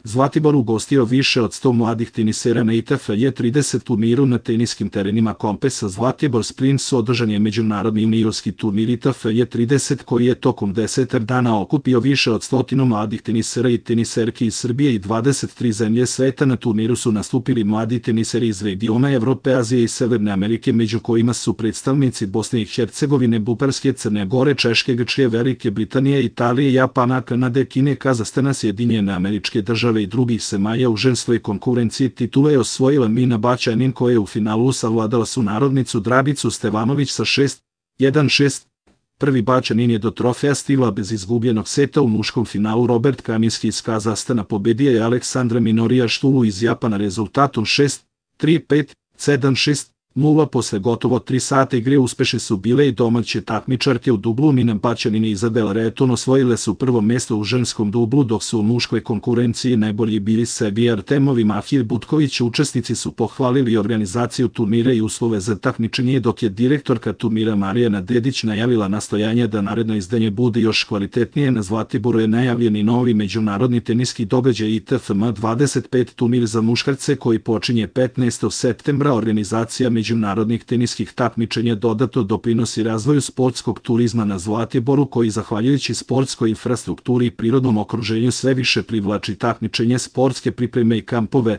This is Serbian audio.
Zlatibor ugostio više od 100 mladih tenisera na ITF J30 turniru na teniskim terenima Kompesa Zlatibor Sprints. Održan je međunarodni juniorski turnir ITF J30 koji je tokom 10 dana okupio više od 100 mladih tenisera i teniserki iz Srbije i 23 zemlje sveta. Na turniru su nastupili mladi teniseri iz regiona Evrope, Azije i Severne Amerike, među kojima su predstavnici Bosne i Hercegovine, Bugarske, Crne Gore, Češke, Grčke, Velike Britanije, Italije, Japana, Kanade, Kine, Kazahstana, Sjedinjene Američke Države i drugih zemalja. U ženskoj konkurenciji titule je osvojila Mina Baćanin koja je u finalu savladala sunarodnicu Dragicu Stevanović sa 6-1, 6. Prvi Baćanin je do trofeja stigla bez izgubljenog seta. U muškom finalu Robert Kaminski iz Kazahstana pobedio je Aleksandra Minorijaštulu iz Japana rezultatom 6-3, 5, 7, 6. 0. Posle gotovo 3 sata igre uspešne su bile i domaće takmičarke u dublu. Mina Baćanin i Izabela Reton osvojile su prvo mesto u ženskom dublu, dok su u muškoj konkurenciji najbolji bili Sergej Artemov i Mahir Butković. Učesnici su pohvalili organizaciju turnira i uslove za takmičenje, dok je direktorka turnira Marijana Dedić najavila nastojanje da naredno izdanje bude još kvalitetnije. Na Zlatiboru je najavljen i novi međunarodni teniski događaj ITFM 25 turnir za muškarce koji počinje 15. septembra. Organizacija međunarodnih teniskih takmičenja dodatno doprinosi razvoju sportskog turizma na Zlatiboru, koji zahvaljujući sportskoj infrastrukturi i prirodnom okruženju sve više privlači takmičenje, sportske pripreme i kampove.